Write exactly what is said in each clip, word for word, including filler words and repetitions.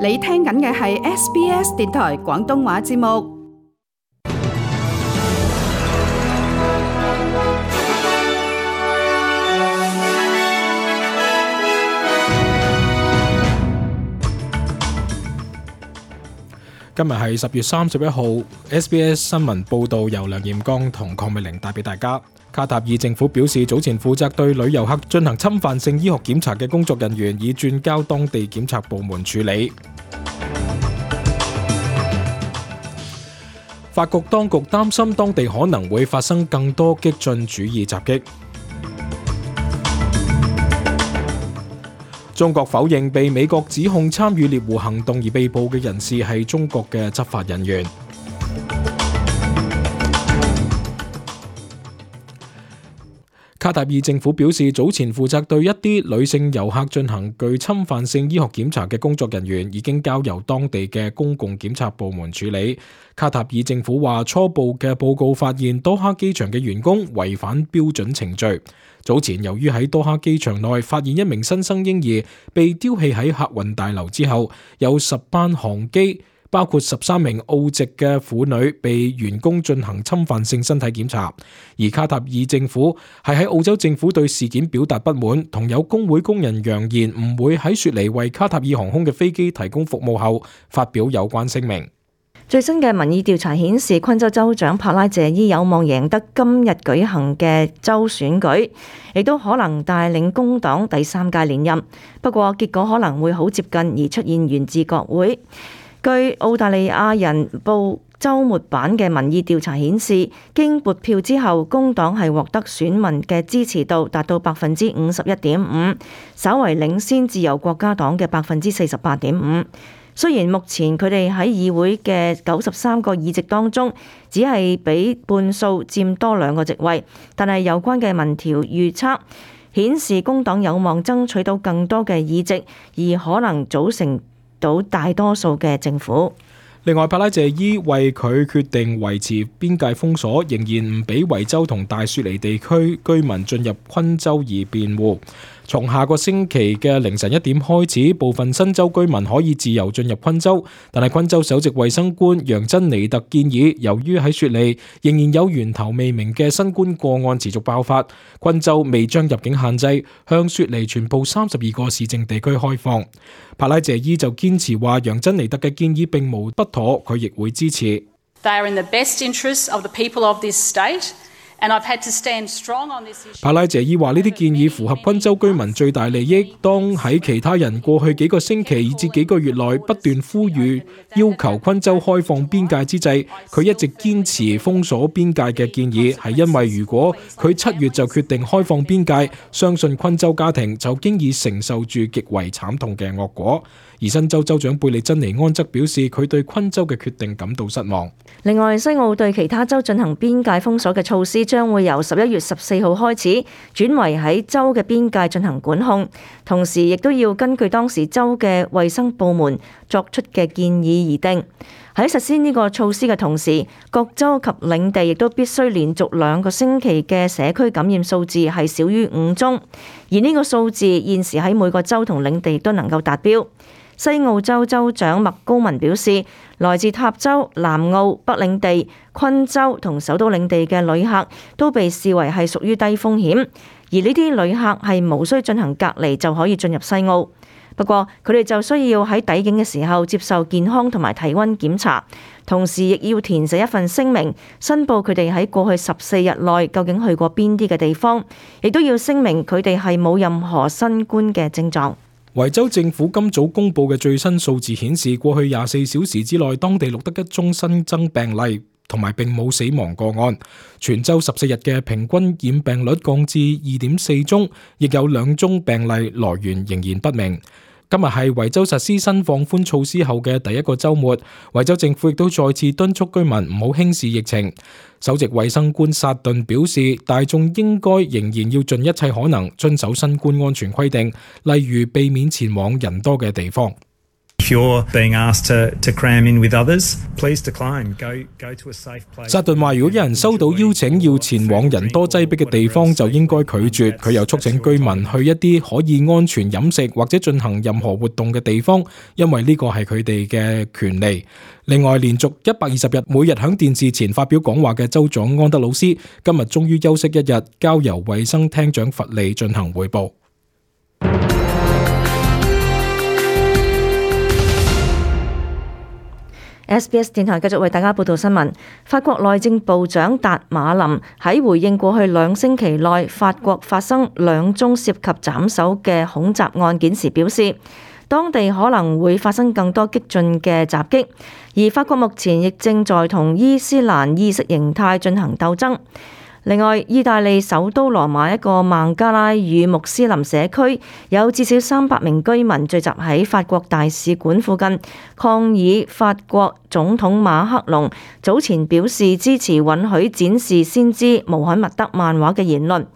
你聽緊嘅係 S B S 電台廣東話節目。今日係十月三十一號 ，S B S 新聞報道由梁艷剛同鄺美玲帶俾大家。卡塔爾政府表示，早前負責對旅遊客進行侵犯性醫學檢查嘅工作人員已轉交當地檢察部門處理。法國當局擔心當地可能會發生更多激進主義襲擊。中國否認被美國指控參與獵狐行動而被捕嘅人士係中國嘅執法人員。卡塔爾政府表示，早前負責對一啲女性遊客進行具侵犯性醫學檢查嘅工作人員已經交由當地嘅公共檢察部門處理。卡塔爾政府話，初步嘅報告發現多哈機場嘅員工違反標準程序。早前由於喺多哈機場內發現一名新生嬰兒被丟棄喺客運大樓之後，有十班航機包括十三名澳籍嘅婦女被員工進行侵犯性身體檢查，而卡塔爾政府係喺澳洲政府對事件表達不滿，同有工會工人揚言唔會喺雪梨為卡塔爾航空嘅飛機提供服務後，發表有關聲明。最新嘅民意調查顯示，昆州州長帕拉謝伊有望贏得今日舉行嘅州選舉，亦都可能帶領工黨第三屆連任。不過結果可能會好接近而出現懸置國會。據澳大利亞人報週末版嘅民意調查顯示，經撥票之後，工黨係獲得選民嘅支持度達到百分之五十一點五，稍為領先自由國家黨嘅百分之四十八點五。雖然目前佢哋喺議會嘅九十三個議席當中，只係比半數佔多兩個席位，但係有關嘅民調預測顯示工黨有望爭取到更多嘅議席，而可能組成到大多數嘅政府。另外，帕拉謝伊為佢決定維持邊界封鎖，仍然唔俾維州同大雪梨地區居民進入昆州而辯護。從下個星期嘅凌晨一點開始，部分新州居民可以自由進入昆州，但係昆州首席衛生官楊珍尼特建議，由於喺雪梨仍然有源頭未明嘅新冠個案持續爆發，昆州未將入境限制向雪梨全部三十二個市政地區開放。帕拉謝伊就堅持話，楊珍尼特嘅建議並無不妥，佢亦會支持。They are in the best interests of the people of this state. 帕拉謝伊話，呢啲建議符合昆州居民最大利益。當喺其他人過去幾個星期以至幾個月內不斷呼籲要求昆州開放邊界之際，佢一直堅持封鎖邊界嘅建議，係因為如果佢七月就決定開放邊界，相信昆州家庭就經已承受住極為慘痛嘅惡果。而新州州長貝利珍尼安則表示，佢對昆州嘅決定感到失望。另外，西澳對其他州進行邊界封鎖嘅措施將會由十一月十四號開始轉為喺州嘅邊界進行管控，同時亦都要根據當時州嘅衛生部門作出嘅建議而定。喺實施呢個措施嘅同時，各州及領地亦都必須連續兩個星期嘅社區感染數字係少於五宗，而呢個數字現時喺每個州同領地都能夠達標。西澳州州長麥高文表示，來自塔州、南澳、北領地、昆州同首都領地嘅旅客都被視為係屬於低風險，而呢啲旅客係無需進行隔離就可以進入西澳。不過佢哋就需要喺抵境嘅時候接受健康同埋體溫檢查，同時亦要填寫一份聲明，申報佢哋喺過去十四日內究竟去過邊啲嘅地方，亦都要聲明佢哋係冇任何新冠嘅症狀。維州政府今早公布嘅最新數字顯示，過去廿四小時之內，當地錄得一宗新增病例，同埋並冇死亡個案。全州十四日嘅平均染病率降至二點四宗，亦有兩宗病例來源仍然不明。今日係維州實施新放寬措施後嘅第一個週末，維州政府亦都再次敦促居民唔好輕視疫情。首席衛生官薩頓表示，大眾應該仍然要盡一切可能遵守新冠安全規定，例如避免前往人多嘅地方。薩頓話：如果有人收到邀請要前往人多擠迫嘅地方，就應該拒絕。佢又促請居民去一啲可以安全飲食或者進行任何活動嘅地方，因為呢個係佢哋嘅權利。另外，連續一百二十日每日響電視前發表講話嘅州長安德魯斯，今日終於休息一日，交由衛生廳長弗利進行匯報。S B S 電台繼續為大家報道新聞。法國內政部長達馬林喺回應過去兩星期內法國發生兩宗涉及斬首嘅恐襲案件時表示，當地可能會發生更多激進嘅襲擊，而法國目前亦正在同伊斯蘭意識形態進行鬥爭。另外，意大利首都羅馬一個孟加拉語穆斯林社區有至少三百名居民聚集喺法國大使館附近，抗議法國總統馬克龍早前表示支持允許展示先知穆罕默德漫畫嘅言論。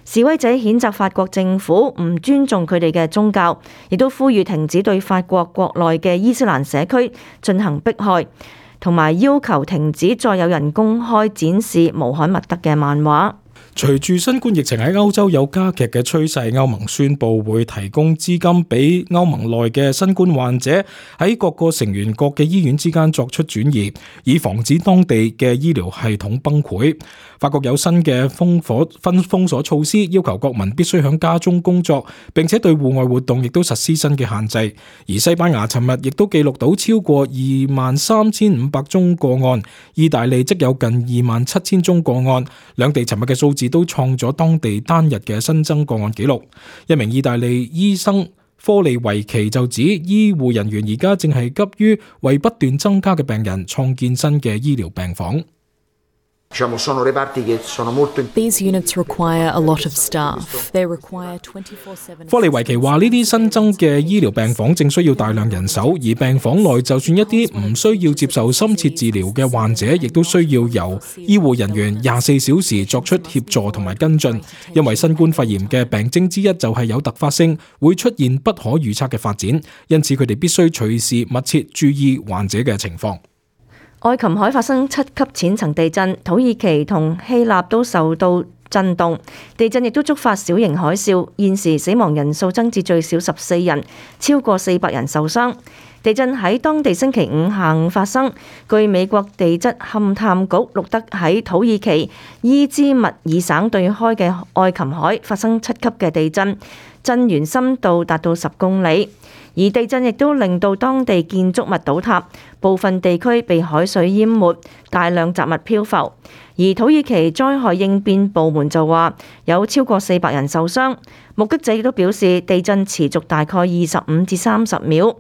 示威者譴責法國政府唔尊重佢哋嘅宗教，亦都呼籲停止對法國國內嘅伊斯蘭社區進行迫害，同埋要求停止再有人公開展示穆罕默德嘅漫畫。隨住新冠疫情喺歐洲有加劇嘅趨勢，歐盟宣布會提供資金俾歐盟內嘅新冠患者喺各個成員國嘅醫院之間作出轉移，以防止當地嘅醫療系統崩潰。法國有新嘅封鎖分封鎖措施，要求國民必須喺家中工作，並且對戶外活動亦都實施新嘅限制。而西班牙尋日亦都記錄到超過二萬三千五百宗個案，意大利則有近二萬七千宗個案，兩地尋日嘅數字都創咗當地單日嘅新增個案紀錄。一名意大利醫生科利維奇就指，醫護人員而家正係急於為不斷增加嘅病人創建新嘅醫療病房。These units require a lot of staff. They require twenty-four seven. 科利維奇話：呢啲新增嘅醫療病房正需要大量人手，而病房內就算一啲唔需要接受深切治療嘅患者，亦都需要由醫護人員廿四小時作出協助同埋跟進。因為新冠肺炎嘅病徵之一就係有突發性，會出現不可預測嘅發展，因此佢哋必須隨時密切注意患者嘅情況。愛琴海發生七級淺層地震，土耳其同希臘都受到震動，地震亦都觸發小型海嘯，現時死亡人數增至最少十四人，超過四百人受傷。地震喺當地星期五下午發生，據美國地質勘探局錄得喺土耳其伊茲密爾省對開嘅愛琴海發生七級嘅地震，震源深度達到十公里。而地震亦都令到當地建築物倒塌，部分地區被海水淹沒，大量雜物漂浮。而土耳其災害應變部門就話有超過四百人受傷。目擊者亦都表示，地震持續大概二十五至三十秒。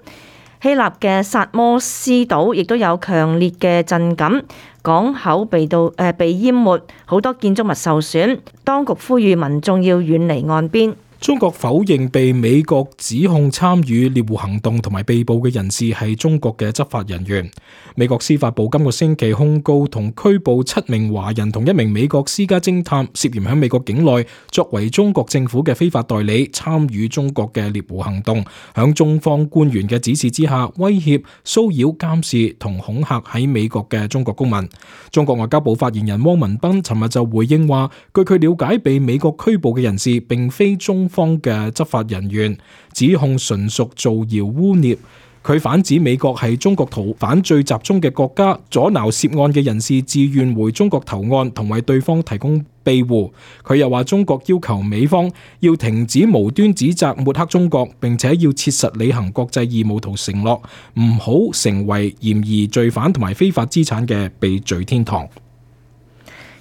希臘嘅薩摩斯島亦都有強烈嘅震感，港口被到誒、呃、被淹沒，好多建築物受損。當局呼籲民眾要遠離岸邊。中國否認被美國指控參與獵狐行動同埋被捕嘅人士係中國嘅執法人員。美國司法部今個星期控告同拘捕七名華人同一名美國私家偵探，涉嫌喺美國境內作為中國政府嘅非法代理，參與中國嘅獵狐行動，響中方官員嘅指示之下，威脅、騷擾、監視同恐嚇喺美國嘅中國公民。中國外交部發言人汪文斌尋日就回應話，據佢了解，被美國拘捕嘅人士並非中方嘅執法人員，指控純屬造謠污衊。佢反指美國係中國逃犯最集中嘅國家，阻撓涉案嘅人士自願回中國投案，同為對方提供庇護。佢又話中國要求美方要停止無端指責抹黑中國，並且要切實履行國際義務同承諾，唔好成為嫌疑罪犯同埋非法資產嘅避罪天堂。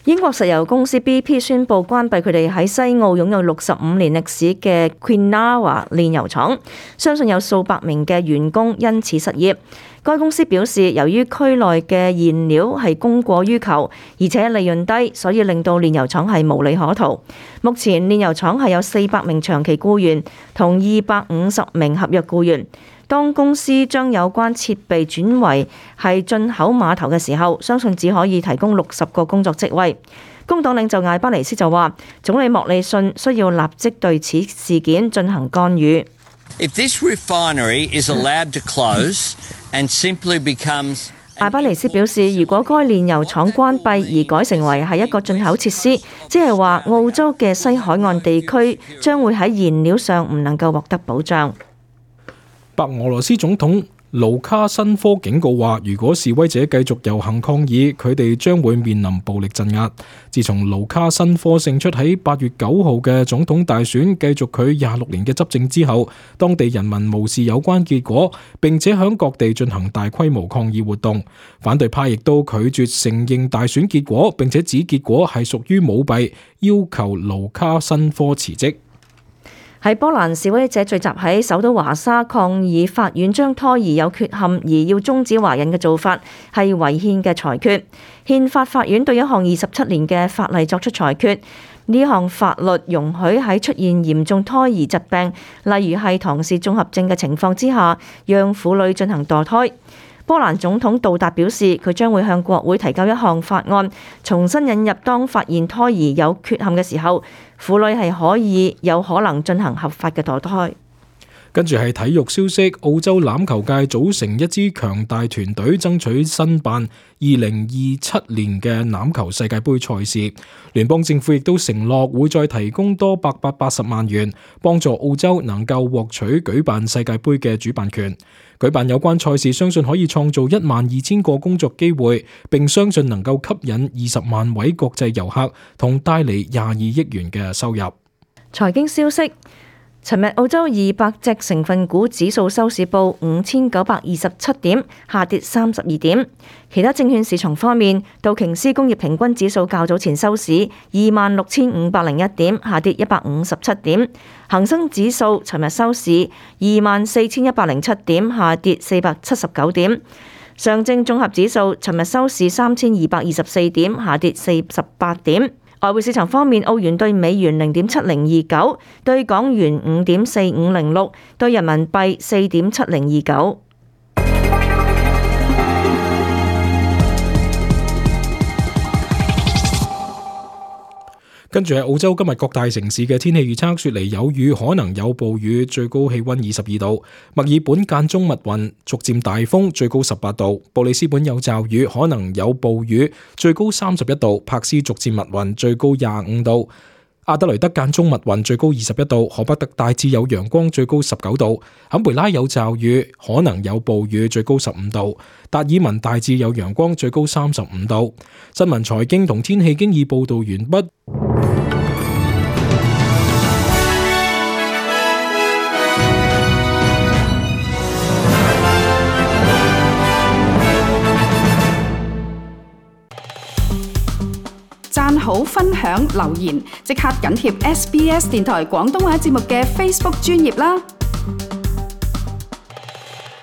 英國石油公司 B P 宣布關閉佢哋喺西澳擁有六十五年歷史嘅 Kwinana 煉油廠，相信有數百名嘅員工因此失業。該公司表示，由於區內嘅燃料係供過於求，而且利潤低，所以令到煉油廠係無利可圖。目前煉油廠係有四百名長期僱員同二百五十名合約僱員。當公司將有關設備轉為係進口碼頭嘅時候，相信只可以提供六十個工作職位。工黨領袖艾巴尼斯就話，總理莫里遜需要立即對此事件進行干預。If this refinery is allowed to close and simply becomes艾巴尼斯表示，如果該煉油廠關閉而改成為係一個進口設施，即係話澳洲嘅西海岸地區將會喺燃料上唔能夠獲得保障。白俄羅斯總統盧卡申科警告話，如果示威者繼續遊行抗議，佢哋將會面臨暴力鎮壓。自從盧卡申科勝出喺八月九號嘅總統大選，繼續佢廿六年嘅執政之後，當地人民無視有關結果，並且響各地進行大規模抗議活動。反對派亦都拒絕承認大選結果，並且指結果係屬於舞弊，要求盧卡申科辭職。喺波蘭，示威者聚集喺首都華沙抗議法院將胎兒有缺陷而要終止懷孕嘅做法係違憲嘅裁決。憲法法院對一項二十七年嘅法例作出裁決，呢項法律容許喺出現嚴重胎兒疾病，例如係唐氏綜合症嘅情況之下，讓婦女進行墮胎。波蘭總統杜達表示，佢將會向國會提交一項法案，重新引入當發現胎兒有缺陷嘅時候，婦女係可以有可能進行合法嘅墮胎。跟住係體育消息，澳洲欖球界組成一支強大團隊，爭取申辦二零二七年嘅欖球世界盃賽事。聯邦政府亦都承諾會再提供多八百八十萬元，幫助澳洲能夠獲取舉辦世界盃嘅主辦權。舉辦有關賽事，相信可以創造一萬二千個工作機會，並相信能夠吸引二十萬位國際遊客，同帶嚟廿二億元嘅收入。財經消息。尋日澳洲二百隻成分股指數收市報五千九百二十七點，下跌三十二點。其他證券市場方面，道瓊斯工業平均指數較早前收市二萬六千五百零一點，下跌一百五十七點。恒生指數尋日收市二萬四千一百零七點，下跌四百七十九點。上證綜合指數尋日收市三千二百二十四點，下跌四十八點。外匯市場方面，澳元對美元零點七零二九，對港元五點四五零六，對人民幣四點七零二九。跟住係澳洲今日各大城市嘅天氣預測，雪梨有雨，可能有暴雨，最高氣溫二十二度；墨爾本間中密雲，逐漸大風，最高十八度；布里斯本有驟雨，可能有暴雨，最高三十一度；柏斯逐漸密雲，最高廿五度；阿德雷德間中密雲，最高二十一度；荷伯特大致有陽光，最高十九度；坎培拉有驟雨，可能有暴雨，最高十五度；達爾文大致有陽光，最高三十五度。新聞財經同天氣經已報道完畢。讚好、分享、留言，即刻緊貼 S B S 電台廣東話節目嘅 Facebook 專頁啦！